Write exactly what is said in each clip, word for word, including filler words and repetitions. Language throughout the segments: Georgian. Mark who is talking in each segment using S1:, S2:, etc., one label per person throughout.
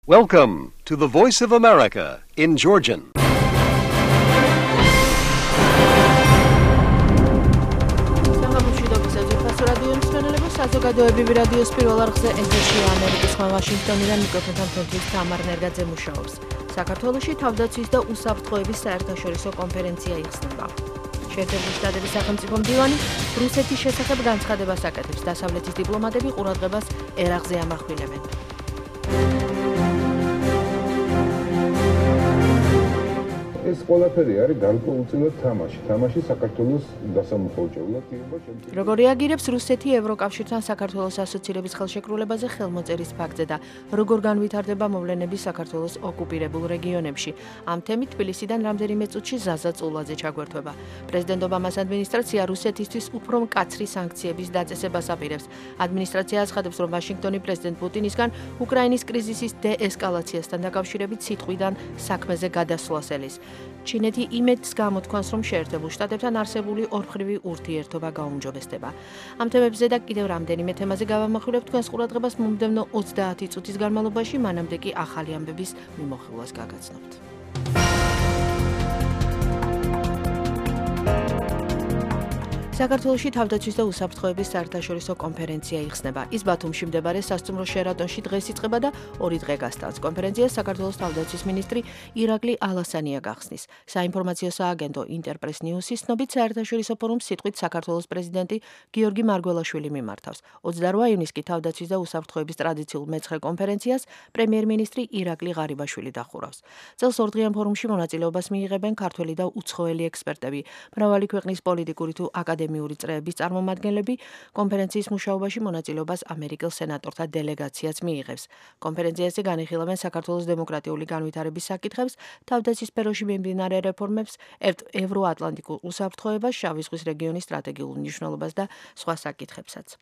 S1: Welcome to the Voice of America in Georgian.
S2: საზოგადოებრივი რადიოს პირველ არხზე ეთერშია ამერიკის ხმა ვაშინგტონიდან მიკროფონთან თემთვის თამარ ნერგაძე მუშაობს. საქართველოში თავდაცვის და უსაფრთხოების საერთაშორისო კონფერენცია იხსნება. შეერთებული შტატების სახელმწიფო მდივანი რუსეთის შესახებ განცხადებას აკეთებს. დასავლეთის დიპლომატები ყურადღებას ერაყზე ამახვილებენ.
S3: ეს ყველაფერი არის გარკვეულწილად თამაში. თამაში საქართველოს დასამოხოჭრებლად იქნება შემდგომ.
S2: როგორ რეაგირებს რუსეთი ევროკავშირთან საქართველოს ასოცირების ხელშეკრულებაზე ხელმოწერის ფაქტზე და როგორ განვითარდება მოვლენები საქართველოს ოკუპირებულ რეგიონებში? ამ თემით თბილისიდან რამდენიმე წუთში ზაზა წულაძე ჩაგვერთვება. პრეზიდენტ ობამას ადმინისტრაცია რუსეთისთვის უფრო მკაცრი სანქციების დაწესებას აპირებს. ადმინისტრაცია აცხადებს, რომ ვაშინგტონი პრეზიდენტ პუტინისგან უკრაინის კრიზისის დეესკალაციასთან დაკავშირებით სიტყვიდან საქმეზე გადასვლას ელის. ჩინეთი იმედს გამოთქვამს, რომ შეერთებულ შტატებთან არსებული ორმხრივი ურთიერთობა გაუმჯობესდება. ამ თემებზე და კიდევ რამდენიმე თემაზე გავამახვილებ თქვენს ყურადღებას მომდევნო ოცდაათი წუთის განმავლობაში, მანამდე კი ახალი ამბების მიმოხილვას გაგაცნობთ. საქართველოში თავდაცვის და უსაფრთხოების საერთაშორისო კონფერენცია იხსნება. ის ბათუმში მდებარე სასტუმრო შერატონში დღეს იწყება და ორი დღე გასტანს. კონფერენციას საქართველოს თავდაცვის მინისტრი ირაკლი ალასანია გახსნის. საინფორმაციო სააგენტო ინტერპრეს ნიუსის ცნობით საერთაშორისო ფორუმს სიტყვით საქართველოს პრეზიდენტი გიორგი მარგველაშვილი მიმართავს. ოცდარვა ივნის კი თავდაცვის და უსაფრთხოების ტრადიციულ მეცხრე კონფერენციას პრემიერ-მინისტრი ირაკლი ღარიბაშვილი დახურავს. წელს ორდღიან ფორუმში მონაწილეობას მიიღებენ ქართველი და უცხოელი ექსპერტები, მრავალი ქვეყნის პოლიტიკური თუ აკადემიური წრეების წარმომადგენლები. კონფერენციის მუშაობაში მონაწილეობას ამერიკელ სენატორთა დელეგაციაც მიიღებს. კონფერენციაზე განიხილავენ საქართველოს დემოკრატიული განვითარების საკითხებს, თავდაცვის სფეროში მიმდინარე რეფორმებს, ევროატლანტიკურ უსაფრთხოებას, შავი ზღვის რეგიონის სტრატეგიულ მნიშვნელობას და სხვა საკითხებსაც.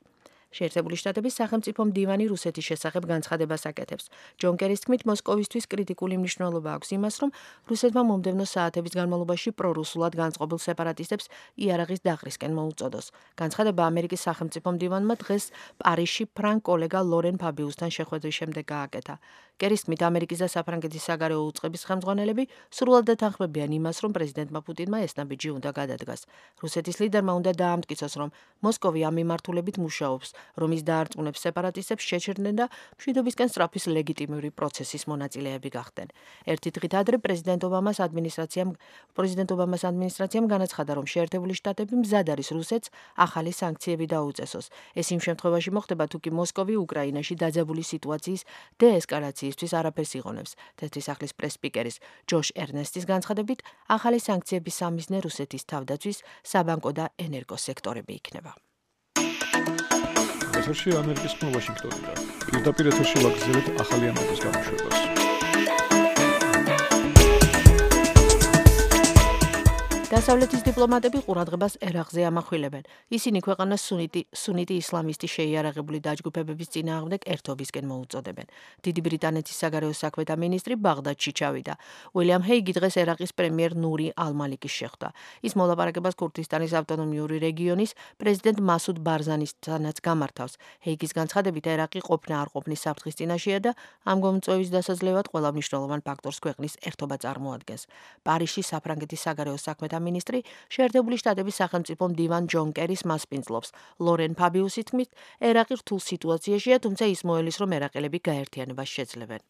S2: შეერთებული შტატების სახელმწიფო მდივანი რუსეთის შესახებ განცხადებას აკეთებს. ჯონ კერის თქმით, მოსკოვისთვის კრიტიკული მნიშვნელობა აქვს იმას, რომ რუსეთმა მომდევნო საათების განმავლობაში პრორუსულად განწყობილ სეპარატისტებს იარაღის დახრისკენ მოუწოდოს. განცხადება ამერიკის სახელმწიფო მდივანმა დღეს პარიზში ფრანგ კოლეგა ლორენ ფაბიუსთან შეხვედრის შემდეგ გააკეთა. კერის თქმით, ამერიკის და საფრანგეთის საგარეო უწყების ხელმძღვანელები სრულად ეთანხმებიან იმას, რომ პრეზიდენტმა პუტინმა ეს ნაბიჯი უნდა გადადგას. რუსეთის ლიდერმა უნდა დაამტკიცოს, რომ მოსკოვი ამ მიმართულებით მუშაობს, რომ ის დაარწმუნებს სეპარატისტებს შეჩერდნენ და მშვიდობისკენ სწრაფის ლეგიტიმური პროცესის მონაწილეები გახდნენ. ერთი დღით ადრე პრეზიდენტ ობამას ადმინისტრაციამ პრეზიდენტ ობამას ადმინისტრაციამ განაცხადა, რომ შეერთებული შტატები მზად არის რუსეთს ახალი სანქციები დაუწესოს. ეს იმ შემთხვევაში მოხდება, თუ კი მოსკოვი უკრაინაში დაძაბული სიტუაციის დეესკალაციისთვის არაფერს იღონებს. თეთრი სახლის პრეს-სპიკერის ჯოშ ერნესტის განცხადებით, ახალი სანქციების სამიზნე რუსეთის თავდაცვის, საბანკო და ენერგოსექტორები იქნება.
S4: ეთერში ამერიკის ხმა ვაშინგტონიდან. პირდაპირ ეთერში ვაგრძელებთ ახალი ამბების გამოშვებას.
S2: დასავლეთის დიპლომატები ყურადღებას ერაყზე ამახვილებენ. ისინი ქვეყანას სუნიტი სუნიტი ისლამისტი შეიარაღებული დაჯგუფებების წინააღმდეგ ერთობისკენ მოუწოდებენ. დიდი ბრიტანეთის საგარეო საქმეთა მინისტრი ბაღდადში ჩავიდა. უილიამ ჰეიგი დღეს ერაყის პრემიერ ნური ალ-მალიკის შეხვდა. ის მოლაპარაკებას ქურთისტანის ავტონომიური რეგიონის პრეზიდენტ მასუდ ბარზანისთანაც გამართავს. ჰეიგის განცხადებით, ერაყი ყოფნა არ ყოფნის საფრთხის წინაშეა და ამ გამომწვევის დასაძლევად ყველა მნიშვნელოვან ფაქტორს ქვეყნის ერთობა წარმოადგენს. პარიზში საფრანგეთის საგარეო საქმეთა მინისტრი შეერთებული შტატების სახელმწიფო მდივან ჯონ კერის მასპინძლობს. ლორენ ფაბიუსი თქმით, ერაყი რთულ სიტუაციაშია, თუმცა ის მოელის, რომ ერაყელები გაერთიანებას შეძლებენ.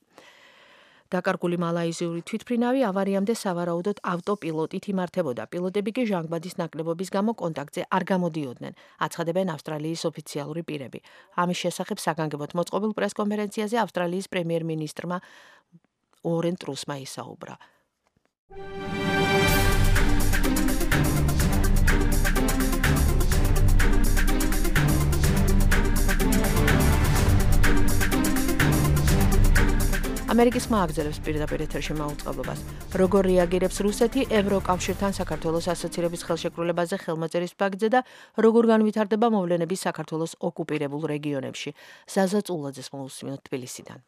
S2: დაკარგული მალაიზიური თვითმფრინავი ავარიამდე სავარაუდოდ ავტოპილოტით იმართებოდა. პილოტები კი ჟანგბადის ნაკლებობის გამო კონტაქტზე არ გამოდიოდნენ, აცხადებენ ავსტრალიის ოფიციალური პირები. ამის შესახებ საგანგებოდ მოწყობილ პრესკონფერენციაზე ავსტრალიის პრემიერ-მინისტრმა ორენ ტრუსმა ისაუბრა. ამერიკის ხმა აგზელებს პირდაპირ ეთერში მაუწყებლობას. როგორ რეაგირებს რუსეთი ევროკავშირთან საქართველოს ასოცირების ხელშეკრულებაზე ხელმოწერის ფაქტზე და როგორ განვითარდება მოვლენები საქართველოს ოკუპირებულ რეგიონებში? ზაზა წულაძეს მოусმინოთ თბილისიდან.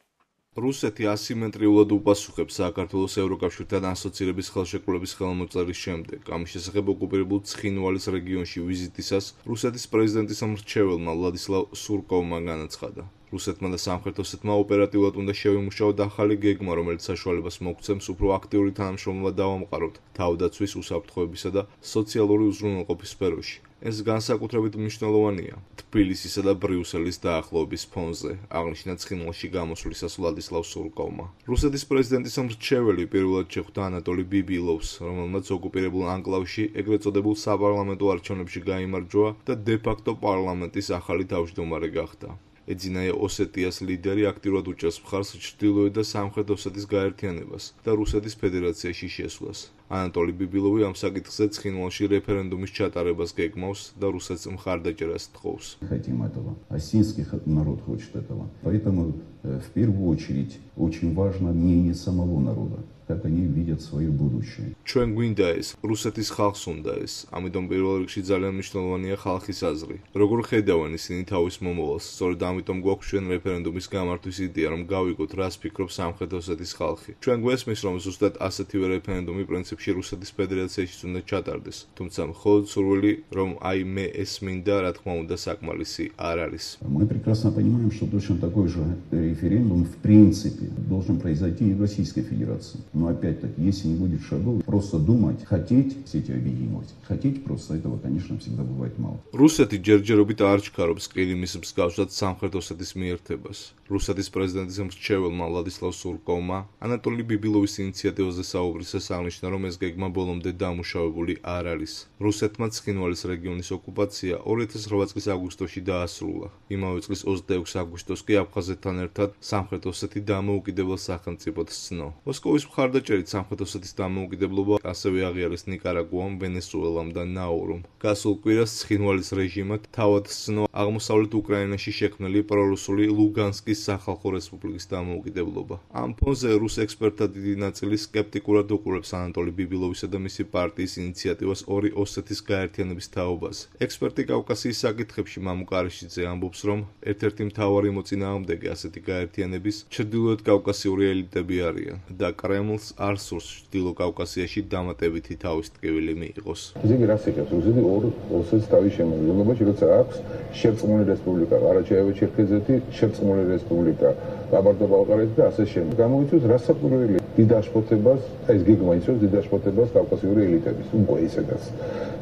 S5: რუსეთი ასიმეტრიულად უპასუხებს საქართველოს ევროკავშირთან ასოცირების ხელშეკრულების ხელმოწერის შემდეგ. ამის შესახებ ოკუპირებულ ცხინვალის რეგიონში ვიზიტისას რუსეთის პრეზიდენტის მრჩეველმა ვლადისლავ სურკოვმა განაცხადა. რუსეთმა და სამხრეთ ოსეთმა ოპერატიულად უნდა შევიმუშაოთ ახალი გეგმა, რომელიც საშუალებას მოგცემს უფრო აქტიური თანამშრომლობა დავამყაროთ თავდაცვის, უსაფრთხოებისა და სოციალური უზრუნველყოფის სფეროში. ეს განსაკუთრებით მნიშვნელოვანია თბილისისა და ბრიუსელის დაახლოების ფონზე, აღნიშნა ცხინვალში გამოსვლისას ვლადისლავ სურკოვმა. რუსეთის პრეზიდენტის მრჩეველი პირველად შეხვდა ანატოლი ბიბილოვს, რომელმაც ოკუპირებულ ანკლავში ეგრეთ წოდებულ საპარლამენტო არჩევნებში გაიმარჯვა და დე-ფაქტო პარლამენტის ახალი თავმჯდომარე გახდა. ეძინა ოსეტიას ლიდერი აქტიურად უჭერს მხარს ჩრდილოეთ და სამხრეთ ოსეთის გაერთიანებას და რუსეთის федерацияში შესვლას. ანატოლი ბიბილოვი ამ საკითხზე ცხინვალში რეფერენდუმის ჩატარებას გეგმავს და რუსეთს მხარდაჭერას თხოვს.
S6: Хотим этого. Осетинский народ хочет этого. Поэтому в первую очередь очень важно мнение самого народа. Как они видят свое будущее.
S5: ჩვენ გვინდა ეს, რუსეთის ხალხს უნდა ეს, ამიტომ პირველ რიგში ძალიან მნიშვნელოვანია ხალხის აზრი. როგორ ხედავენ ისინი თავის მომავალს, სწორედ ამიტომ გვაქვს ჩვენ რეფერენდუმის გამართვის იდეა, რომ გავიგოთ, რას ფიქრობს სამხრეთ ოსეთის ხალხი. ჩვენ გვესმის, რომ ზუსტად ასეთივე რეფერენდუმი პრინციპში რუსეთის федерацияშიც უნდა ჩატარდეს, თუმცა მხოლოდ სურვილი, რომ აი მე ეს მინდა, რა თქმა უნდა, საკმარისი არ არის.
S6: Мы прекрасно понимаем, что точно такой же референдум в принципе должен произойти и в Российской Федерации. Но опять-таки, если не будет шагов, просто думать, хотеть все эти объединивать, хотеть просто этого, конечно, всегда бывает мало.
S5: რუსეთი ჯერჯერობით არ ჩქარობს ყირიმის მსგავსად სამხრეთ ოსეთის მიერთებას. რუსეთის პრეზიდენტის მრჩეველმა ვლადისლავ სურკოვმა ანატოლი ბიბილოვის ინიციატივაზე საუბრისას აღნიშნა, რომ ეს გეგმა ბოლომდე დამუშავებული არ არის. რუსეთმა ცხინვალის რეგიონის ოკუპაცია ორი ათას რვა წლის აგვისტოში დაასრულა. იმავე წლის ოცდაექვსი აგვისტოს კი აფხაზეთთან ერთად სამხრეთ ოსეთი დამოუკიდებელ სახელმწიფოდ სცნო. მოსკოვის მხარდაჭერით სამხრეთ ოსეთის დამოუკიდებლობა ასევე აღიარეს ნიკარაგუამ, ვენესუელამ და ნაურუმ. გასულ კვირას ცხინვალის რეჟიმად თავად სცნო აღმოსავლეთ უკრაინაში შექმნილი პრორუსული ლუგანსკის სახალხო რესპუბლიკის დამოუკიდებლობა. ამ ფონზე რუს ექსპერტთა დიდი ნაწილი სკეპტიკურად უყურებს ანატოლი ბიბილოვისა და მისი პარტიის ინიციატივას ორი ოსეთის გაერთიანების თაობაზე. ექსპერტი კავკასიის საკითხებში მამუ კარიშიძე ამბობს, რომ ერთ-ერთი მთავარი მოწინააღმდეგე ასეთი გაერთიანების ჩრდილოეთ კავკასიური ელიტები არიან და კრემლს არ სურს ჩრდილო კავკასიაში დამატებითი თავის ტკივილი მიიღოს.
S3: ისე კი რას იღებს? რუსეთი ორ ოსეთს თავის შემადგენლობაში, როცა აქვს შერწყმული რესპუბლიკა, ყარაჩაევი-ჩერქეზეთი, შერწყმული რესპუბლიკა, ყაბარდო-ბალყარეთი და ასე შემდეგ. გამოიწვევს რასაკვირველი დიდ აშფოთებას, ეს გეგმა იწვევს დიდ აშფოთებას კავკასიური ელიტების, უკვე ისედაც.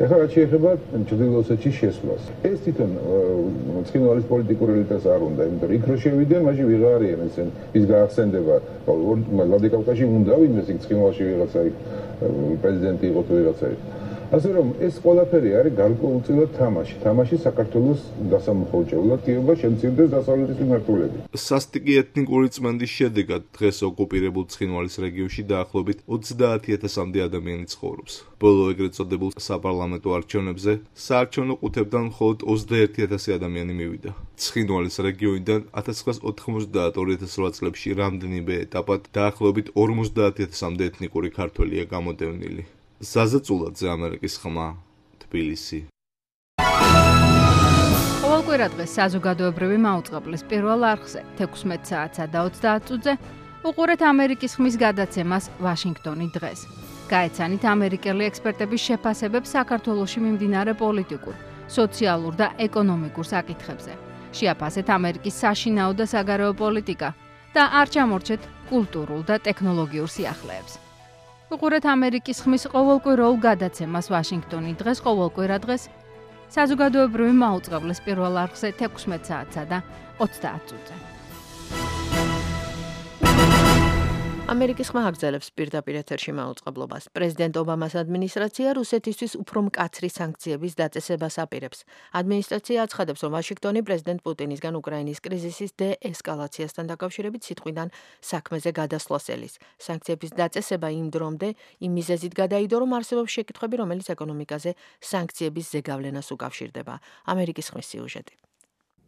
S3: ეხლა რაც შეეხება ჩრდილო ოსეთში შესვლას. ეს თვითონ ცხინვალის პოლიტიკურ ელიტას არ უნდა, იმიტომ რომ იქ რო შევიდნენ, მაშინ ვიღარ არიან ესენ, ის გაახსენდება. ვლადიკავკაზში უნდა ვინმე ცხინვალში ვიღაცა იქ პრეზიდენტი იყო თუ ვიღაცა იქ. ასე რომ ეს ყველაფერი არის გარკვეულწილად თამაში. თამაში საქართველოს დასამოხოჭევლად კიევა შემცირდეს დასავლეთის მიმართულებით.
S5: სასტიკი ეთნიკური წმენდის შედეგად დღეს ოკუპირებულ ცხინვალის რეგიონში დაახლოებით ოცდაათი ათასამდე ადამიანი ცხოვრობს. ბოლო ეგრეთ წოდებულ საპარლამენტო არჩევნებზე საარჩევნო ყუთებთან მხოლოდ ოცდაერთი ათასი ადამიანი მივიდა. ცხინვალის რეგიონიდან ათას ცხრაას ოთხმოცდაათ ორი ათას რვა წლებში რამდენიმე ეტაპად დაახლოებით ორმოცდაათი ათასამდე ეთნიკური ქართველია გამოდევნილი. ზაზაწულაძე, ამერიკის ხმა, თბილისი.
S7: ყოველკვირა დღეს საზოგადოებრივი მაუწყებლის პირველ არხზე თექვსმეტ საათსა და ოცდაათ წუთზე უყურეთ ამერიკის ხმის გადაცემას ვაშინგტონი დღეს. გაეცანით ამერიკელი ექსპერტების შეფასებებს საქართველოში მიმდინარე პოლიტიკურ, სოციალურ და ეკონომიკურ საკითხებზე. შეაფასეთ ამერიკის საშინაო და საგარეო პოლიტიკა და არ ჩამორჩეთ კულტურულ და ტექნოლოგიურ სიახლეებს. უყურეთ ამერიკის ხმის ყოველკვირეულ გადაცემას ვაშინგტონი დღეს ყოველკვირა დღეს საზოგადოებრივი მაუწყებლის პირველ არხზე თექვსმეტ საათსა და ოცდაათ წუთზე.
S2: ამერიკის ხმა აგრძელებს პირდაპირ ეთერში მაუწყებლობას. პრეზიდენტ ობამას ადმინისტრაცია რუსეთისთვის უფრო მკაცრი სანქციების დაწესებას აპირებს. ადმინისტრაცია აცხადებს, რომ ვაშინგტონი პრეზიდენტ პუტინისგან უკრაინის კრიზისის დე-ესკალაციასთან დაკავშირებით სიტყვიდან საქმეზე გადასვლას ელის. სანქციების დაწესება იმ დრომდე იმ მიზეზით გადაიდო, რომ არსებობს შეკითხვები, რომელიც ეკონომიკაზე სანქციების ზეგავლენას უკავშირდება. ამერიკის ხმის სიუჟეტი.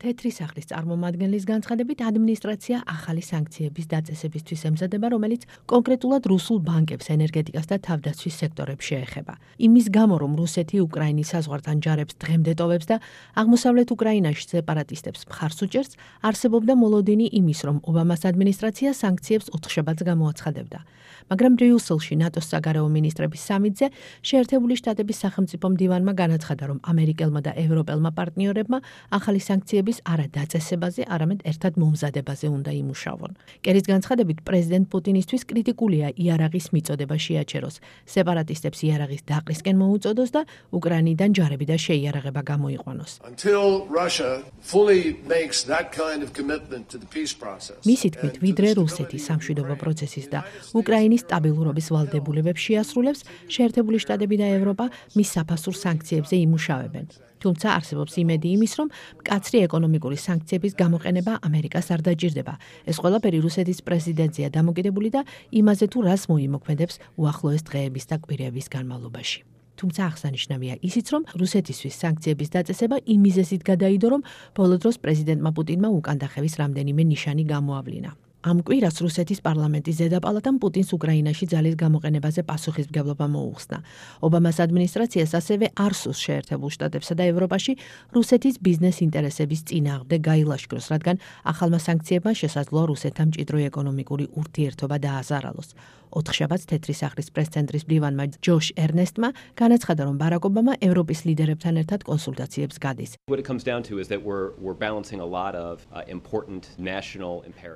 S2: თეთრი სახლის წარმომადგენლის განცხადებით ადმინისტრაცია ახალი სანქციების დაწესებისთვის ემზადება, რომელიც კონკრეტულად რუსულ ბანკებს, ენერგეტიკას და თავდაცვის სექტორებს შეეხება. იმის გამო, რომ რუსეთი უკრაინის საზღვართან ჯარებს დღემდე ტოვებს და აღმოსავლეთ უკრაინაში სეპარატისტებს მხარს უჭერს, არსებობდა მოლოდინი იმის, რომ ობამას ადმინისტრაცია სანქციებს ოთხშაბათს გამოაცხადებდა. მაგრამ ბრიუსელში ნატოს საგარეო მინისტრების სამიტზე შეერთებული შტატების სახელმწიფო მდივანმა განაცხადა, რომ ამერიკელმა და ევროპელმა პარტნიორებმა ახალი სანქციების დაწესებულობის არა დაწესებაზე, არამედ ერთად მომზადებაზე უნდა იმუშავონ. კერის განცხადებით, პრეზიდენტ პუტინისთვის კრიტიკულია იარაღის მიწოდება შეაჩეროს, სეპარატისტებს იარაღის დაყრისკენ მოუწოდოს და უკრაინიდან ჯარები და შეიარაღება გამოიყვანოს. მისი თქმით, ვიდრე რუსეთი სამშვიდობო პროცესის და უკრაინის სტაბილურობის ვალდებულებებს შეასრულებს, შეერთებული შტატები და ევროპა მის საფასურ სანქციებზე იმუშავებენ. თუმცა არსებობს იმედი იმის, რომ მკაცრი ეკონომიკური სანქციების გამოყენება ამერიკას არ დაჭირდება. ეს ყველაფერი რუსეთის პრეზიდენტზეა დამოკიდებული და იმაზე თუ რას მოიმოქმედებს უახლოეს დღეების და კვირების განმავლობაში. თუმცა აღსანიშნავია ისიც, რომ რუსეთისთვის სანქციების დაწესება იმ მიზეზით გადაიდო, რომ ბოლო დროს პრეზიდენტმა პუტინმა უკანდახევის რამდენიმე ნიშანი გამოავლინა. ამ კვირას რუსეთის პარლამენტის ზედაპალატამ პუტინს უკრაინაში ძალის გამოყენებაზე პასუხისმგებლობა მოუხსნა. ობამას ადმინისტრაციას ასევე არ სურს შეერთებულ შტატებსა და ევროპაში რუსეთის ბიზნეს ინტერესების წინააღმდეგ გაილაშქროს, რადგან ახალმა სანქციებმა შესაძლოა რუსეთთან მჭიდრო ეკონომიკური ურთიერთობა დააზარალოს. ოთხშაბათს თეთრი სახლის პრეს-ცენტრის მდივანმა ჯოშ ერნესტმა განაცხადა, რომ ბარაკ ობამა ევროპის ლიდერებთან ერთად კონსულტაციებს გადის.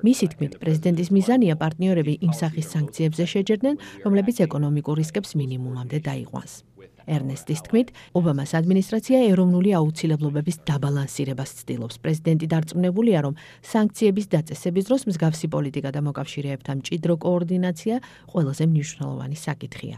S2: მისი თქმით, პრეზიდენტის მიზანია პარტნიორები იმ სახის სანქციებზე შეჯერდნენ, რომლებიც ეკონომიკურ რისკებს მინიმუმამდე დაიყვანს. ერნესტის თქმით, ობამას ადმინისტრაცია ეროვნული აუცილებლობების დაბალანსირებას ცდილობს. პრეზიდენტი დარწმუნებულია, რომ სანქციების დაწესების დროს მსგავსი პოლიტიკა და მოკავშირეებთან მჭიდრო კოორდინაცია ყველაზე მნიშვნელოვანი საკითხია.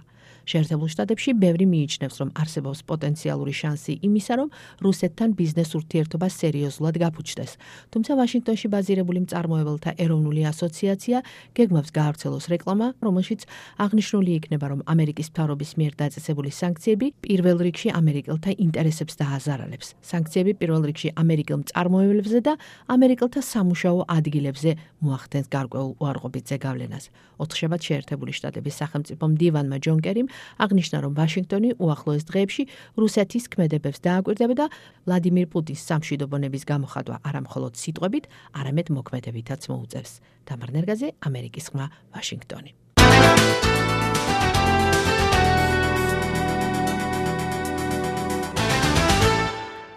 S2: შეერთებულ შტატებში ბევრი მიიჩნევს, რომ არსებობს პოტენციალური შანსი იმისა, რომ რუსეთთან ბიზნეს ურთიერთობა სერიოზულად გაფუჭდეს. თუმცა ვაშინგტონში ბაზირებული მწარმოებელთა ეროვნული ასოციაცია გეგმავს გაავრცელოს რეკლამა, რომელშიც აღნიშნული იქნება, რომ ამერიკის მთავრობის მიერ დაწესებული სანქციები პირველ რიგში ამერიკელთა ინტერესებს დააზარალებს. სანქციები პირველ რიგში ამერიკელ მწარმოებლებზე და ამერიკელთა სამუშაო ადგილებზე მოახდენს გარკვეულ უარყოფით ზეგავლენას. ოთხშაბათს შეერთებული შტატების სახელმწიფო მდივანმა ჯონ კერიმ აღნიშნა, რომ ვაშინგტონი უახლოეს დღეებში რუსეთის ქმედებებს დააკვირდება და ვლადიმირ პუტინს სამშვიდობონების გამოხატვა არა მხოლოდ სიტყვებით, არამედ მოქმედებითაც მოუწევს. თამარ ნერგაძე, ამერიკის ხმა, ვაშინგტონი.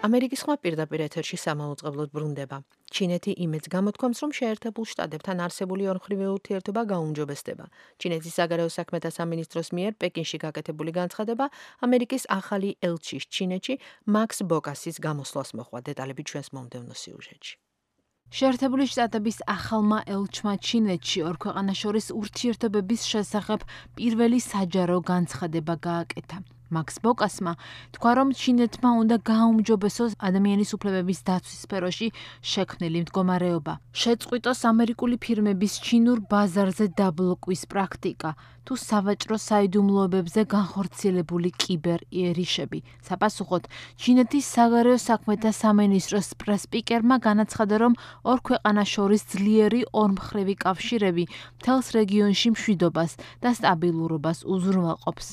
S2: ამერიკის ხმა პირდაპირ ეთერში სამაუწყებლოდ ბრუნდება. ჩინეთი იმედს გამოთქვამს, რომ შეერთებულ შტატებთან არსებული ორმხრივი ურთიერთობა გაუმჯობესდება. ჩინეთის საგარეო საქმეთა სამინისტროს მიერ პეკინში გაკეთებული განცხადება ამერიკის ახალი ელჩის ჩინეთში მაქს ბოკასის გამოსვლას მოჰყვა. დეტალები ჩვენს მომდევნო სიუჟეტში.
S7: შეერთებული შტატების ახალმა ელჩმა ჩინეთში ორ ქვეყანას შორის ურთიერთობების შესახებ პირველი საჯარო განცხადება გააკეთა. მაქს ბოკასმა თქვა, რომ ჩინეთმა უნდა გააუმჯობესოს ადამიანის უფლებების დაცვის სფეროში შექმნილი მდგომარეობა. შეწყვიტოს ამერიკული ფირმების ჩინურ ბაზარზე დაბლოკვის პრაქტიკა, თუ სავაჭრო საიდუმლოებებზე განხორციელებული კიბერ იერიშები. საპასუხოდ, ჩინეთის საგარეო საქმეთა სამინისტროს პრესპიკერმა განაცხადა, რომ ორ ქვეყანას შორის ძლიერი ორმხრივი კავშირები მთელს რეგიონში მშვიდობას და სტაბილურობას უზრუნველყოფს.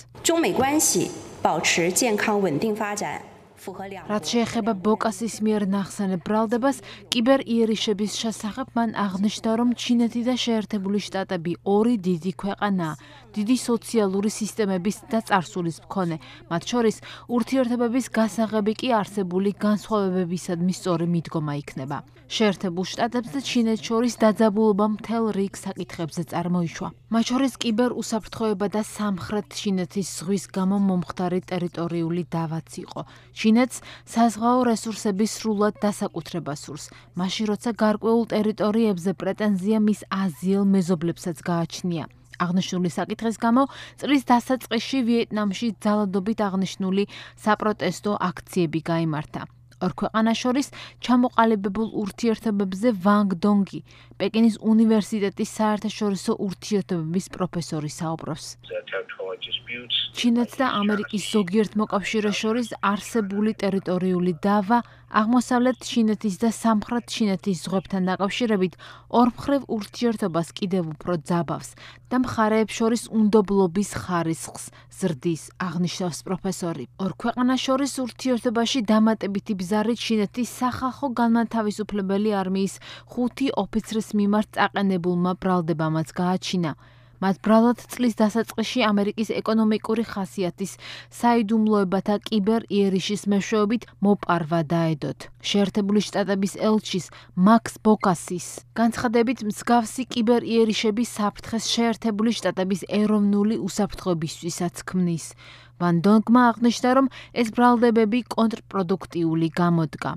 S7: რაც შეეხება ბოკასის მიერ ნახსენებ ბრალდებას, კიბერ იერიშების შესახებ მან აღნიშნა, რომ ჩინეთი და შეერთებული შტატები ორი დიდი ქვეყანაა, დიდი სოციალური სისტემების და წარსულის მქონე, მათ შორის ურთიერთობების გასაღები კი არსებული განსხვავებებისადმი სწორი მიდგომა იქნება. შეერთებულ შტატებს და ჩინეთს შორის დაძაბულობა მთელ რიგ საკითხებზე წარმოიშვა. მათ შორის კიბერ უსაფრთხოება და სამხრეთ ჩინეთის ზღვის გამო მომხდარი ტერიტორიული დავაც იყო. ჩინეთს საზღვაო რესურსების სრულად დასაკუთრება სურს, მაშინ როცა გარკვეულ ტერიტორიებზე პრეტენზია მის აზიელ მეზობლებსაც გააჩნია. აღნიშნული საკითხის გამო წლის დასაწყისში ვიეტნამში ძალადობით აღნიშნული საპროტესტო აქციები გაიმართა. ორ ქვეყანას შორის ჩამოყალიბებულ ურთიერთობებზე ვანგ დონგი, პეკინის უნივერსიტეტის საერთაშორისო ურთიერთობების პროფესორი საუბრობს. ჩინეთს და ამერიკის ზოგიერთ მოკავშირეს შორის არსებული ტერიტორიული დავა აღმოსავლეთ ჩინეთის და სამხრეთ ჩინეთის ზღვებთან დაკავშირებით ორმხრივ ურთიერთობას კიდევ უფრო ძაბავს და მხარეებს შორის უნდობლობის ხარისხს ზრდის, აღნიშნავს პროფესორი. ორ ქვეყანას შორის ურთიერთობაში დამატებითი ბზარი ჩინეთის სახალხო განმათავისუფლებელი არმიის ხუთი ოფიცრის მიმართ წაყენებულმა ბრალდებამაც გააჩინა. მათ ბრალად წლის დასაწყისში ამერიკის ეკონომიკური ხასიათის საიდუმლოებათა კიბერ იერიშის მეშვეობით მოპარვა დაედოთ. შეერთებული შტატების ელჩის მაქს ბოკასის განცხადებით მსგავსი კიბერ იერიშები საფრთხეს შეერთებული შტატების ეროვნული უსაფრთხოებისთვისაც ქმნის. ვან დონგმა აღნიშნა, რომ ეს ბრალდებები კონტრპროდუქტიული გამოდგა.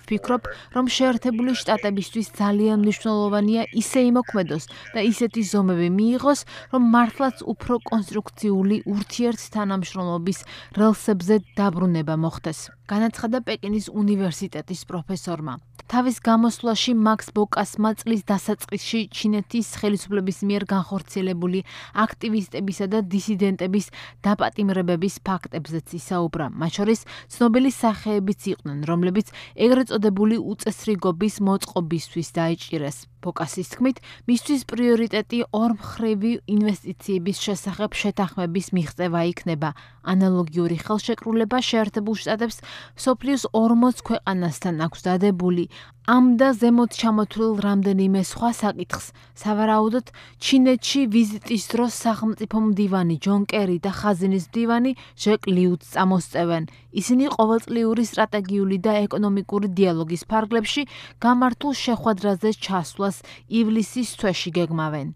S7: ვფიქრობ, რომ შეერთებული შტატებისთვის ძალიან მნიშვნელოვანია ისე იმოქმედოს და ისეთი ზომები მიიღოს, რომ მართლაც უფრო კონსტრუქციული ურთიერთთანამშრომლობის რელსებზე დაბრუნება მოხდეს. განაცხადა პეკინის უნივერსიტეტის პროფესორმა. თავის გამოსვლაში მაქს ბოკასმა წლის დასაწყისში ჩინეთის ხელისუფლების მიერ განხორციელებული აქტივისტებისა და დისიდენტების დაპატიმრებების ფაქტებზეც ისაუბრა. მათ შორის ცნობილი სახეებიც იყვნენ, რომლებიც ეგრეთ წოდებული უწესრიგობის მოწყობისთვის დაიჭირეს. ბოკასის თქმით, მისთვის პრიორიტეტი ორმხრივი ინვესტიციების შესახებ შეთანხმების მიღწევა იქნება. ანალოგიური ხელშეკრულება შეერთებულ შტატებს მსოფლიოს ორმოც ქვეყანასთან აქვს დადებული. ამ და ზემოთ ჩამოთვლილ რამდენიმე სხვა საკითხს, სავარაუდოდ, ჩინეთში ვიზიტის დროს სახელმწიფო მდივანი ჯონ კერი და ხაზინის მდივანი ჟეკ ლიუც წამოსწევენ. ისინი ყოველწლიური სტრატეგიული და ეკონომიკური დიალოგის ფარგლებში გამართულ შეხვედრაზე ჩასვლას ივლისის თვეში გეგმავენ.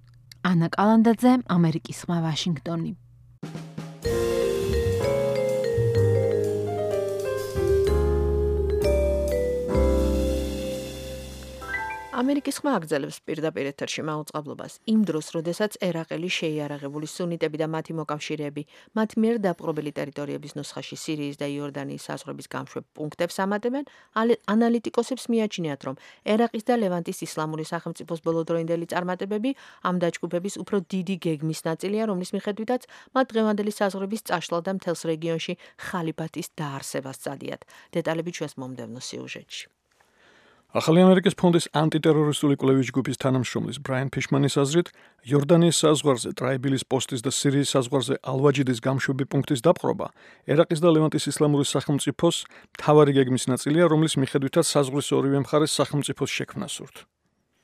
S7: ანა კალანდაძე, ამერიკის ხმა, ვაშინგტონი.
S2: ამერიკის ხმა აგრძელებს პირდაპირ ეთერში მაუწყებლობას იმ დროს, როდესაც ერაყელი შეიარაღებული სუნიტები და მათი მოკავშირეები მათ მიერ დაპყრობილი ტერიტორიების ნუსხაში სირიის და იორდანიის საზღვრების გამშვებ პუნქტებს ამატებენ, ანალიტიკოსებს მიაჩნიათ, რომ ერაყის და ლევანტის ისლამური სახელმწიფოს ბოლოდროინდელი წარმატებები ამ დაჯგუფების უფრო დიდი გეგმის ნაწილია, რომლის მიხედვითაც მათ დღევანდელი საზღვრების წაშლა და მთელს რეგიონში ხალიფათის დაარსებას წადიათ. დეტალები ჩვენს მომდევნო სიუჟეტში.
S4: ახალი ამერიკის ფონდის ანტიტერორისტული კვლევის ჯგუფის თანამშრომლის ბრაიან ფიშმანის აზრით, იორდანიის საზღვარზე ტრაიბილის პოსტის და სირიის საზღვარზე ალვაჯიდის გამშვები პუნქტის დაპყრობა ერაყის და ლევანტის ისლამური სახელმწიფოს მთავარი გეგმის ნაწილია, რომლის მიხედვითაც საზღვრის ორივე მხარეს სახელმწიფოს შექმნა სურთ.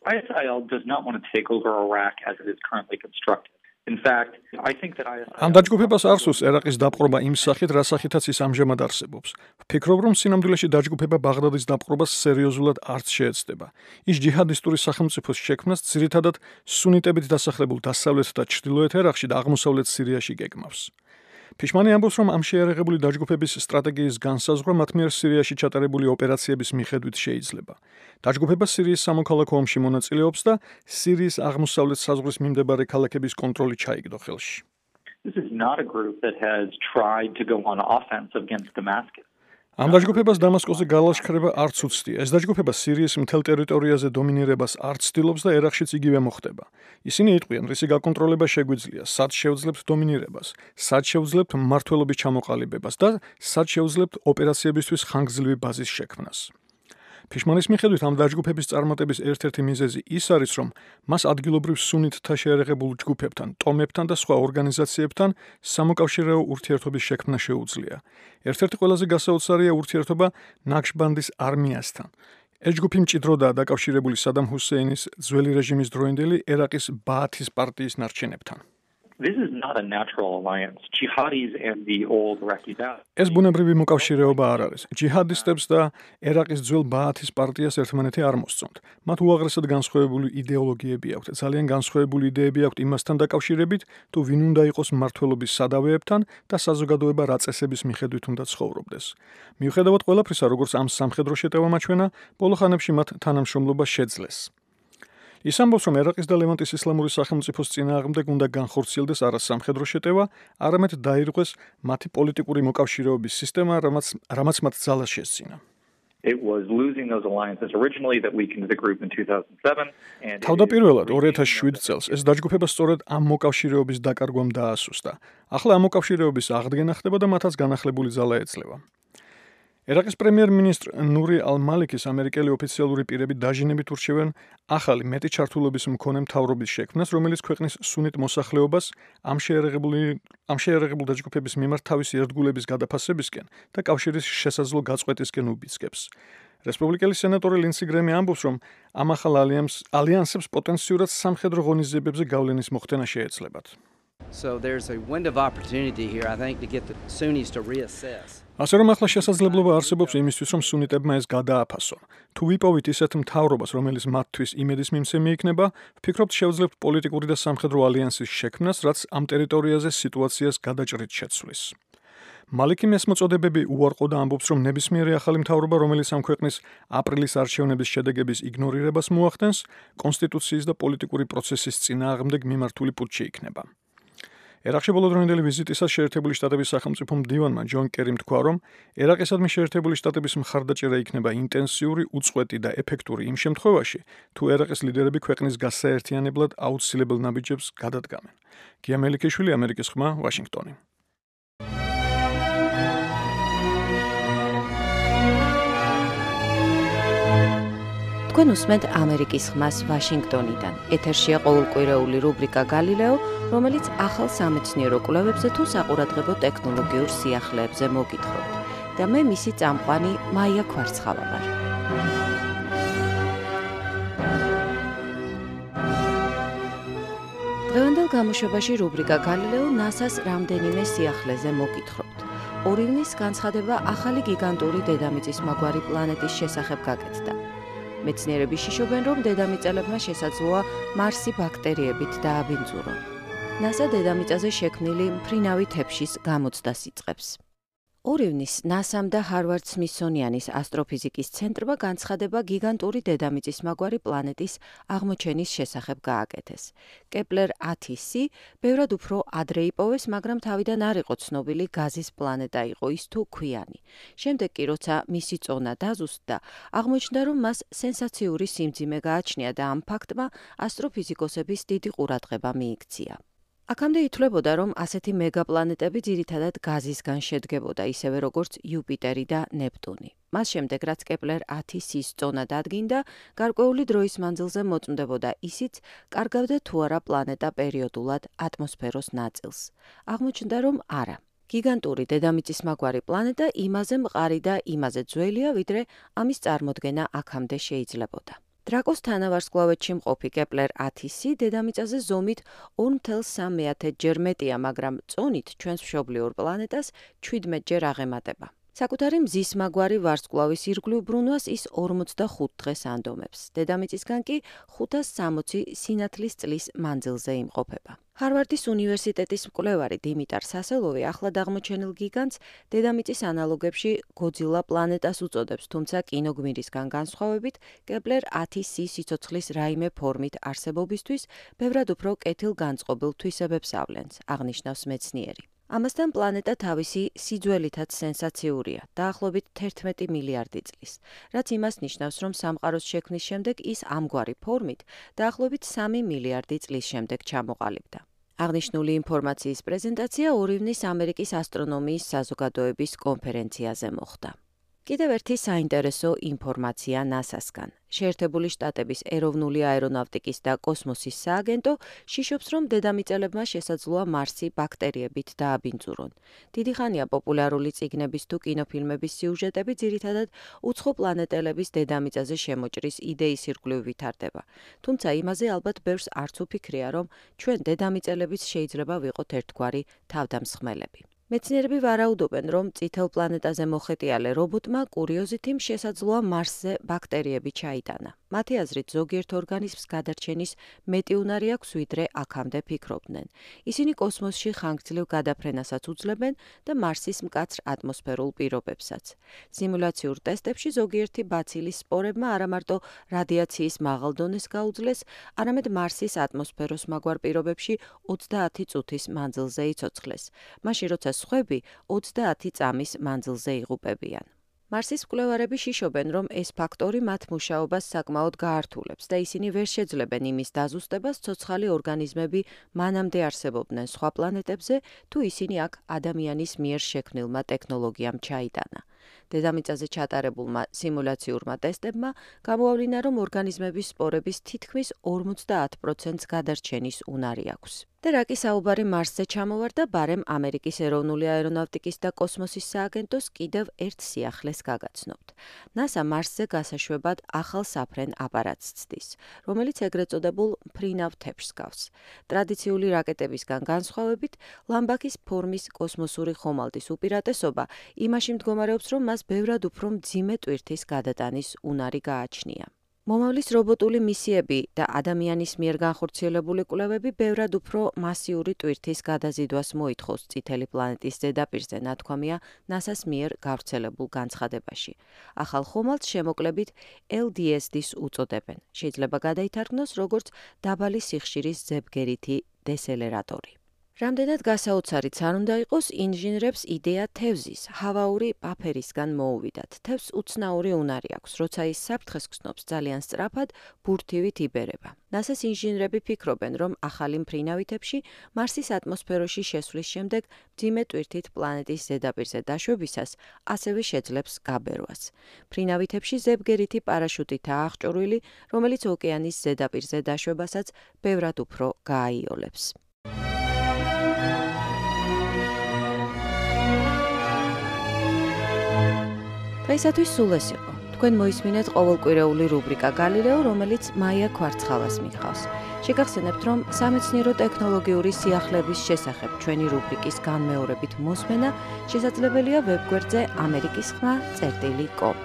S8: I S I L does not want to take over Iraq as it is currently constructed. In fact, I think that I S I L
S4: ამ დაჯგუფებას არ სურს ერაყის დაპყრობა იმ სახით, რა სახითაც ის ამჟამად არსებობს. ვფიქრობ, რომ სინამდვილეში დაჯგუფება ბაღდადის დაპყრობას სერიოზულად არც შეეცდება. ის ჯიჰადისტური სახელმწიფოს შექმნას ძირითადად სუნიტებით დასახლებულ დასავლეთ და ჩრდილოეთ ერაყში და აღმოსავლეთ სირიაში გეგმავს. ფიშმანი ამბობს, რომ ამ შეიარაღებული დაჯგუფების სტრატეგიის განსაზღვრა მათ მიერ სირიაში ჩატარებული ოპერაციების მიხედვით შეიძლება. დაჯგუფება სირიის სამოქალაქო ომში მონაწილეობს და სირიის აღმოსავლეთ საზღვრის მიმდებარე ქალაქების კონტროლი ჩაიგდო ხელში.
S8: This is not a group that has tried to go on offensive against Damascus.
S4: ამ დაჯგუფებას დამასკოზე გალაშქრება არც უცდია. ეს დაჯგუფება სირიის მთელ ტერიტორიაზე დომინირებას არ ცდილობს და ერაყშიც იგივე მოხდება. ისინი იტყვიან, რისი გაკონტროლება შეგვიძლია, სად შევძლებთ დომინირებას, სად შევძლებთ მმართველობის ჩამოყალიბებას და სად შევძლებთ ოპერაციებისთვის ხანგრძლივი ბაზის შექმნას. ფიშმანის მიხედვით ამ დაჯგუფების წარმატების ერთ-ერთი მიზეზი ის არის, რომ მას ადგილობრივ სუნიტთა შეიარაღებულ ჯგუფებთან, ტომებთან და სხვა ორგანიზაციებთან სამოკავშირეო ურთიერთობის შექმნა შეუძლია. ერთ-ერთი ყველაზე გასაოცარია ურთიერთობა ნაქშბანდის არმიასთან. ეს ჯგუფი მჭიდროდაა დაკავშირებული სადამ ჰუსეინის ძველი რეჟიმის დროინდელი ერაყის ბაათის პარტიის ნარჩენებთან.
S8: This is not a natural alliance. Jihadis and the old Iraqi Ba'ath.
S4: ეს ბუნებრივი მოკავშირეობა არ არის. ჯიჰადისტებს და ერაყის ძველ ბაათის პარტიას ერთმანეთი არ მოსწონთ. მათ უაღრესად განსხვავებული იდეოლოგიები აქვთ. ძალიან განსხვავებული იდეები აქვთ იმასთან დაკავშირებით, თუ ვინ უნდა იყოს მმართველობის სადავეებთან და საზოგადოება რა წესების მიხედვით უნდა ცხოვრობდეს. მიუხედავად ყველაფრისა, როგორც ამ სამხედრო შეტევამ აჩვენა, ბოლო ხანებში მათ თანამშრომლობა შეძლეს. ის ამბობს, რომ ერაყის და ლევანტის ისლამური სახელმწიფოს წინააღმდეგ უნდა განხორციელდეს არა სამხედრო შეტევა, არამედ დაირღვეს მათი პოლიტიკური მოკავშირეობის სისტემა, რამაც რამაც მათ ძალას შესძინა.
S8: It was losing those alliances originally that weakened the group in two thousand seven and
S4: თავდაპირველად ორი ათას შვიდ წელს ეს დაჯგუფება სწორედ ამ მოკავშირეობის დაკარგვამ დაასუსტა. ახლა ამ მოკავშირეობის აღდგენა ხდება და მათაც განახლებული ძალა ეძლევა. ერაყის პრემიერ-მინისტრ ნური ალ-მალიკის ამერიკელი ოფიციალური პირები დაჟინებით ურჩევენ ახალი მეტი ჩართულობის მქონე მთავრობის შექმნას, რომელიც ქვეყნის სუნიტ მოსახლეობას ამ შეიარაღებული ამ შეიარაღებული დაჯგუფების მიმართ თავისი ერთგულების გადაფასებისკენ და კავშირის შესაძლო გაწყვეტისკენ უბიძგებს. რესპუბლიკელი სენატორი ლინსი გრემი ამბობს, რომ ამ ახალ ალიანსებს პოტენციურად სამხედრო ღონისძიებებზე გავლენის მოხდენა შეეძლებათ.
S9: So there's a window of opportunity here, I think, to get the Sunnis to reassess.
S4: ასე რომ ახლა შესაძლებლობა არსებობს იმისთვის, რომ სუნიტებმა ეს გადააფასონ. თუ ვიპოვით ისეთ მთავრობას, რომელიც მათთვის იმედის მიმცემი იქნება, ვფიქრობთ შევძლებთ პოლიტიკური და სამხედრო ალიანსის შექმნას, რაც ამ ტერიტორიაზე სიტუაციას გადაჭრით შეცვლის. მალიკი მესმოწოდებები უარყო და ამბობს, რომ ნებისმიერი ახალი მთავრობა, რომელიც ამ ქვეყნის აპრილის არჩევნების შედეგების იგნორირებას მოახდენს, კონსტიტუციის და პოლიტიკური პროცესის წინააღმდეგ მიმართული პუტჩი იქნება. ერაყში ბოლოდროინდელი ვიზიტისას შეერთებული შტატების სახელმწიფო მდივანმა ჯონ კერიმ თქვა, რომ ერაყისადმი შეერთებული შტატების მხარდაჭერა იქნება ინტენსიური, უწყვეტი და ეფექტური იმ შემთხვევაში, თუ ერაყის ლიდერები ქვეყნის გასაერთიანებლად აუცილებელ ნაბიჯებს გადადგამენ. გია მელიქიშვილი, ამერიკის ხმა, ვაშინგტონი.
S2: თქვენ უსმენთ ამერიკის ხმას ვაშინგტონიდან. ეთერშია ყოველკვირეული რუბრიკა გალილეო, რომელიც ახალ სამეცნიერო კვლევებზე თუ საყურადღებო ტექნოლოგიურ სიახლეებზე მოგითხრობთ. და მე მისი წამყვანი მაია ქვარცხავა ვარ. დღევანდელ გამოშვებაში რუბრიკა გალილეო ნასას რამდენიმე სიახლეზე მოგითხრობთ. ორი ივნის განცხადება ახალი გიგანტური დედამიწის მაგვარი პლანეტის შესახებ გაკეთდა. მეცნიერები შიშობენ, რომ დედამიწელებმა შესაძლოა მარსი ბაქტერიებით დააბინძურონ. ნასა დედამიწაზე შექმნილი მფრინავი თეფშის გამოცდას იწყებს. ორი ივნის ნასამ და ჰარვარდ სმითსონიანის ასტროფიზიკის ცენტრმა განცხადება გიგანტური დედამიწის მაგვარი პლანეტის აღმოჩენის შესახებ გააკეთეს. კეპლერ ათი სი ბევრად უფრო ადრე იპოვეს, მაგრამ თავიდან არ იყო ცნობილი გაზის პლანეტა იყო ის თუ ქვიანი. შემდეგ კი როცა მისი წონა დაზუსტდა, აღმოჩნდა, რომ მას სენსაციური სიმძიმე გააჩნია და ამ ფაქტმა ასტროფიზიკოსების დიდი ყურადღება მიიქცია. აქამდე ითვლებოდა, რომ ასეთი მეგაპლანეტები ძირითადად გაზისგან შედგებოდა, ისევე როგორც იუპიტერი და ნეპტუნი. მას შემდეგ, რაც კეპლერ ათი სის წონა დადგინდა, გარკვეული დროის მანძილზე მოწმდებოდა ისიც, კარგავდა თუ არა პლანეტა პერიოდულად ატმოსფეროს ნაწილს. აღმოჩნდა, რომ არა. გიგანტური დედამიწის მაგვარი პლანეტა იმაზე მყარი და იმაზე ძველია, ვიდრე ამის წარმოდგენა აქამდე შეიძლებოდა. დრაკოს თანავარსკვლავედში მყოფი კეპლერ ათი სი დედამიწაზე ზომით ორ virgulă სამი ჯერ მეტია, მაგრამ წონით ჩვენს მშობლიურ პლანეტას შვიდმეტ ჯერ აღემატება. საკუთარი მზის მაგვარი ვარსკვლავის ირგვლივ ბრუნვას ის ორმოცდახუთ დღეს ანდომებს. დედამიწისგან კი ხუთას სამოცი სინათლის წლის მანძილზე იმყოფება. ჰარვარდის უნივერსიტეტის მკვლევარი დიმიტარ სასელოვი ახლად აღმოჩენილ გიგანტს დედამიწის ანალოგებში გოძილა პლანეტას უწოდებს, თუმცა კინოგმირისგან განსხვავებით, კეპლერ ათი სი სიცოცხლის რაიმე ფორმით არსებობისთვის ბევრად უფრო კეთილგანწყობილ თვისებებს ავლენს, აღნიშნავს მეცნიერი. ამასთან პლანეტა თავისი სიძველითაც სენსაციურია, დაახლოებით თერთმეტი მილიარდი წლის, რაც იმას ნიშნავს, რომ სამყაროს შექმნის შემდეგ ის ამგვარი ფორმით დაახლოებით სამი მილიარდი წლის შემდეგ ჩამოყალიბდა. აღნიშნული ინფორმაციის პრეზენტაცია ორი ივნის ამერიკის ასტრონომიის საზოგადოების კონფერენციაზე მოხდა. კიდევ ერთი საინტერესო ინფორმაცია ნასასგან. შეერთებული შტატების ეროვნული აერონავტიკის და კოსმოსის სააგენტო შიშობს, რომ დედამიწელებმა შესაძლოა მარსი ბაქტერიებით დააბინძურონ. დიდი ხანია პოპულარული წიგნების თუ კინოფილმების სიუჟეტები ძირითადად უცხო პლანეტელების დედამიწაზე შემოჭრის იდეის ირგვლივ ვითარდება. თუმცა იმაზე ალბათ ბევრს არც უფიქრია, რომ ჩვენ დედამიწელებიც შეიძლება ვიყოთ ერთგვარი თავდამსხმელები. მეცნიერები ვარაუდობენ, რომ წითელ პლანეტაზე მოხეტიალე რობოტმა კურიოზითიმ შესაძლოა მარსზე ბაქტერიები ჩაიტანა. მათი აზრით, ზოგიერთ ორგანიზმს გადარჩენის მეტი უნარი აქვს, ვიდრე აქამდე ფიქრობდნენ. ისინი კოსმოსში ხანგრძლივ გადაფრენასაც უძლებენ და მარსის მკაცრ ატმოსფერულ პირობებსაც. სიმულაციურ ტესტებში ზოგიერთი ბაცილის სპორებმა არამარტო რადიაციის მაღალ დონეს გაუძლეს, არამედ მარსის ატმოსფეროს მაგვარ პირობებში ოცდაათი წუთის მანძილზე იცოცხლეს. მაშინ როცა სხვები ოცდაათი წამის მანძილზე იღუპებიან. მარსის მკვლევარები შიშობენ, რომ ეს ფაქტორი მათ მუშაობას საკმაოდ გაართულებს და ისინი ვერ შეძლებენ იმის დაზუსტებას, ცოცხალი ორგანიზმები მანამდე არსებობდნენ სხვა პლანეტებზე, თუ ისინი აქ ადამიანის მიერ შექმნილმა ტექნოლოგიამ ჩაიტანა. დედამიწაზე ჩატარებულმა სიმულაციურმა ტესტებმა გამოავლინა, რომ ორგანიზმების სპორების თითქმის ორმოცდაათ პროცენტს გადარჩენის უნარი აქვს. და რაკი საუბარი მარსზე ჩამოვარდა, ბარემ ამერიკის ეროვნული აერონავტიკის და კოსმოსის სააგენტოს კიდევ ერთ სიახლეს გაგაცნობთ. ნასა მარსზე გასაშვებად ახალ საფრენ აპარატს ცდის, რომელიც ეგრეთ წოდებულ მფრინავ თეფშს გავს. ტრადიციული რაკეტებისგან განსხვავებით, ლამბაქის ფორმის კოსმოსური ხომალდის უპირატესობა იმაში მდგომარეობს, რომ მას ბევრად უფრო მძიმე ტვირთის გადატანის უნარი გააჩნია. მომავლის რობოტული მისიები და ადამიანის მიერ განხორციელებული კვლევები ბევრად უფრო მასიური ტვირთის გადაზიდვას მოითხოვს წითელი პლანეტის ზედაპირზე, ნათქვამია ნასას მიერ გავრცელებულ განცხადებაში. ახალ ხომალდს შემოკლებით ელ დი ეს-ს უწოდებენ. შეიძლება გადაითარგმნოს როგორც დაბალი სიხშირის ზებგერითი დესელერატორი. რამდენად გასაოცარიც არ უნდა იყოს, ინჟინრებს იდეა თევზის, ჰავაური პაფერისგან მოუვიდათ. თევზს უცნაური უნარი აქვს, როცა ის საფრთხეს გრძნობს, ძალიან სწრაფად ბურთივით იბერება. ნასას ინჟინრები ფიქრობენ, რომ ახალი მფრინავი თეფში მარსის ატმოსფეროში შესვლის შემდეგ მძიმე ტვირთით პლანეტის ზედაპირზე დაშვებისას ასევე შეძლებს გაბერვას. მფრინავი თეფში ზებგერითი პარაშუტითაა აღჭურვილი, რომელიც ოკეანის ზედაპირზე დაშვებასაც ბევრად უფრო გააიოლებს. დღეისათვის სულ ეს იყო. თქვენ მოისმინეთ ყოველკვირეული რუბრიკა გალილეო, რომელიც მაია კვარცხალას მიხავს. შეგახსენებთ, რომ სამეცნიერო ტექნოლოგიური სიახლეების შესახებ ჩვენი რუბრიკის განმეორებით მოსმენა შესაძლებელია ვებგვერდზე ამერიკის ხმა წერტილი კომ.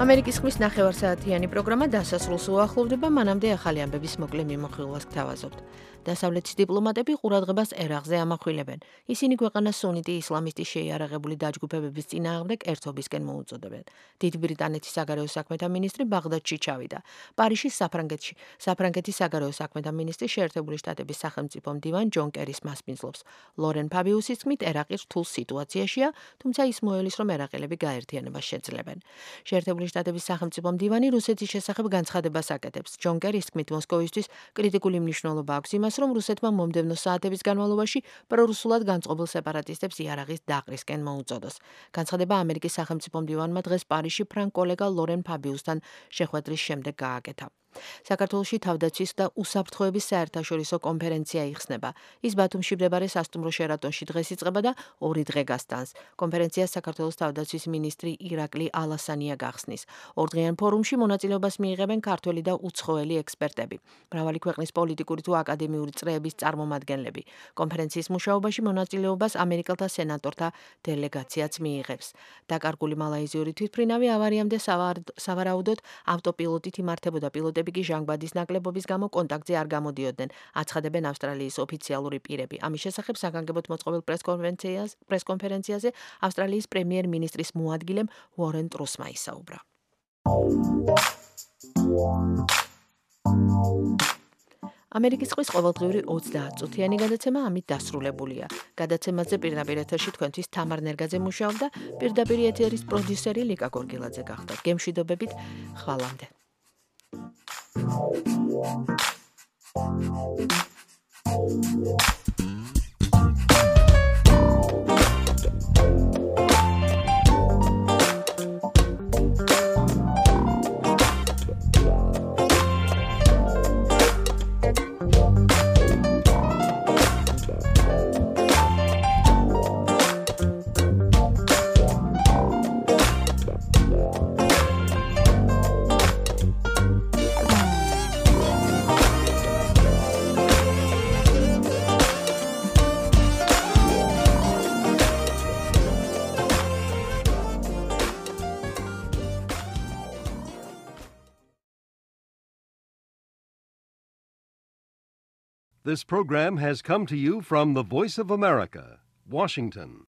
S2: ამერიკის ხმის ნახევარსაათიანი პროგრამა დასასრულს უახლოვდება, მანამდე ახალი ამბების მოკლე მიმოხილვას გთავაზობთ. დასავლეთის დიპლომატები ყურადღებას ერაყზე ამახვილებენ. ისინი ქვეყანას სუნიტი ისლამისტი შეიარაღებული დაჯგუფებების წინააღმდეგ ერთობისკენ მოუწოდებენ. დიდ ბრიტანეთის საგარეო საქმეთა მინისტრი ბაღდადში ჩავიდა. პარიზის საფრანგეთში საფრანგეთის საგარეო საქმეთა მინისტრი შეერთებული შტატების სახელმწიფო მდივან ჯონ კერის მასპინძლობს. ლორენ ფაბიუსის თქმით, ერაყი რთულ სიტუაციაშია, თუმცა ის მოელის, რომ ერაყელები გაერთიანებას შეძლებენ. შეერთებული შტატების სახელმწიფო მდივანი რუსეთის შესახებ განცხადებას აკეთებს. ჯონ კერის თქმით, მოსკოვისთვის კრიტიკული მნიშვნელობა აქვს იმას, რომ რუსეთმა მომდევნო საათების განმავლობაში პრორუსულად განწყობილ სეპარატისტებს იარაღის დაყრისკენ მოუწოდოს. განცხადება ამერიკის სახელმწიფო მდივანმა დღეს პარიზში ფრანგ კოლეგა ლორენ ფაბიუსთან შეხვედრის შემდეგ გააკეთა. საქართველოში თავდაცვის და უსაფრთხოების საერთაშორისო კონფერენცია იხსნება. ის ბათუმში მდებარე სასტუმრო შერატონში დღეს იწყება და ორი დღე გასტანს. კონფერენციას საქართველოს თავდაცვის მინისტრი ირაკლი ალასანია გახსნის. ორდღიან ფორუმში მონაწილეობას მიიღებენ ქართველი და უცხოელი ექსპერტები. მრავალი ქვეყნის პოლიტიკური თუ აკადემიური წრეების წარმომადგენლები. კონფერენციის მუშაობაში მონაწილეობას ამერიკელთა სენატორთა დელეგაციაც მიიღებს. დაკარგული მალაიზიური თვითმფრინავი ავარიამდე სავარაუდოდ ავტოპილოტით იმართებოდა პილოტები კი ჟანგბადის ნაკლებობის გამო კონტაქტზე არ გამოდიოდნენ, აცხადებენ ავსტრალიის ოფიციალური პირები. ამის შესახებ საგანგებოდ მოწყობილ პრესკონფერენციაზე ავსტრალიის პრემიერ-მინისტრის მოადგილემ უორენ ტრუსმა ისაუბრა. ამერიკის ხმის ყოველდღიური ოცდაათწუთიანი გადაცემა ამით დასრულებულია. გადაცემაზე პირდაპირ ეთერში თქვენთვის თამარ ნერგაძე მუშაობდა, პირდაპირ ეთერის პროდიუსერი ლიკა გორგილაძე გახდა. გემშვიდობებით, ხვალამდე.
S1: This program has come to you from the Voice of America, Washington.